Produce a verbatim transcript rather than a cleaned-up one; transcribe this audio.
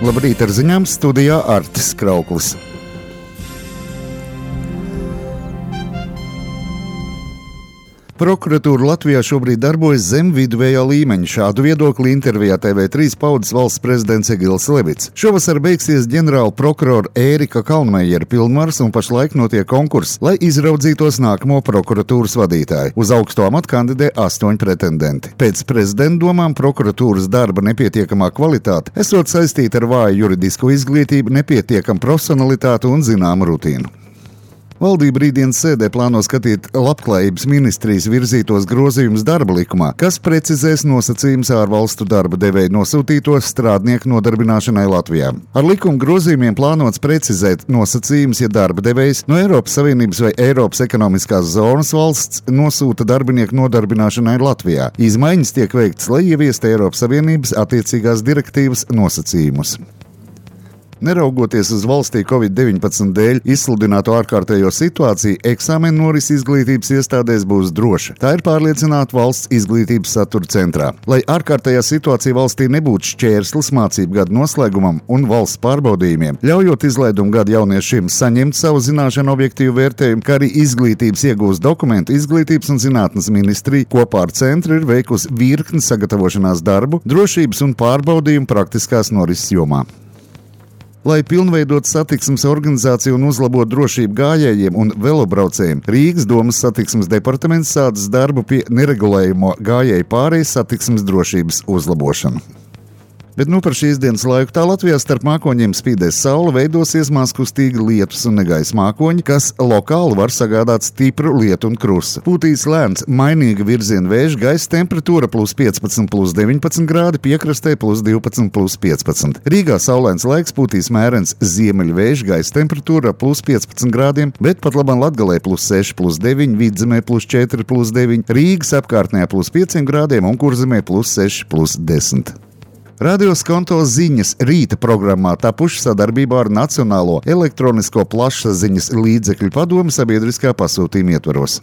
Labrīt, ar ziņām studijā Artis Krauklis. Prokuratūra Latvijā šobrīd darbojas zem viduvējā līmeņa. Šādu viedokli intervijā T V trīs paudzes valsts prezidents Egils Levits. Šovasar beigsies ģenerāla prokurora Ērika Kalnmejera pilnvaras un pašlaik notiek konkurss, lai izraudzītos nākamo prokuratūras vadītāju. Uz augsto amatu kandidē astoņi pretendenti. Pēc prezidenta domām prokuratūras darba nepietiekamā kvalitāte esot saistīta ar vāju juridisko izglītību, nepietiekamu profesionalitāti un zināmu rutīnu. Valdība rītdienas sēdē plāno skatīt Labklājības ministrijas virzītos grozījumus darba likumā, kas precizēs nosacījumus ārvalstu darba devēju nosūtīto strādnieku nodarbināšanai Latvijā. Ar likuma grozījumiem plānots precizēt nosacījumus, ja darba devējs no Eiropas Savienības vai Eiropas ekonomiskās zonas valsts nosūta darbinieku nodarbināšanai Latvijā. Izmaiņas tiek veiktas, lai ieviestu Eiropas Savienības attiecīgās direktīvas nosacījumus. Neraugoties uz valstī covid deviņpadsmit dēļ izsludināto ārkārtējo situāciju, eksāmenu norisi izglītības iestādēs būs droša. Tā ir pārliecināta valsts izglītības satura centrā. Lai ārkārtējā situācija valstī nebūtu šķērslis mācību gadu noslēgumam un valsts pārbaudījumiem, ļaujot izlaidumu gadu jauniešiem saņemt savu zināšanu objektīvu vērtējumu, kā arī izglītības iegūst dokumentu, Izglītības un zinātnes ministrija kopā ar centru ir veikusi virkni sagatavošanās darbu, drošības un pārbaudījumu praktiskās norises jomā. Lai pilnveidotu satiksmes organizāciju un uzlabotu drošību gājējiem un velobraucējiem, Rīgas domas satiksmes departaments sācis darbu pie neregulējumo gājēju pārejas satiksmes drošības uzlabošanu. Bet nu par šīs dienas laiku tā Latvijā starp mākoņiem spīdēs saule, veidosies mazkustīgi lietus un negaisa mākoņi, kas lokāli var sagādāt stipru lietu un krusu. Pūtīs lēns, mainīga virziena vējš, gaisa temperatūra plus piecpadsmit, plus deviņpadsmit grādi, piekrastē plus divpadsmit, plus piecpadsmit. Rīgā saulains laiks, pūtīs mērens ziemeļvējš, gaisa temperatūra plus piecpadsmit grādiem, bet pat labam Latgalē plus seši, plus deviņi, Vidzemē plus četri, plus deviņi, Rīgas apkārtnē plus pieciem grādiem un Kurzemē plus seši, plus desmit. Radio Skonto ziņas rīta programmā tapuši sadarbībā ar Nacionālo elektronisko plašsaziņas līdzekļu padomi sabiedriskā pasūtījuma ietvaros.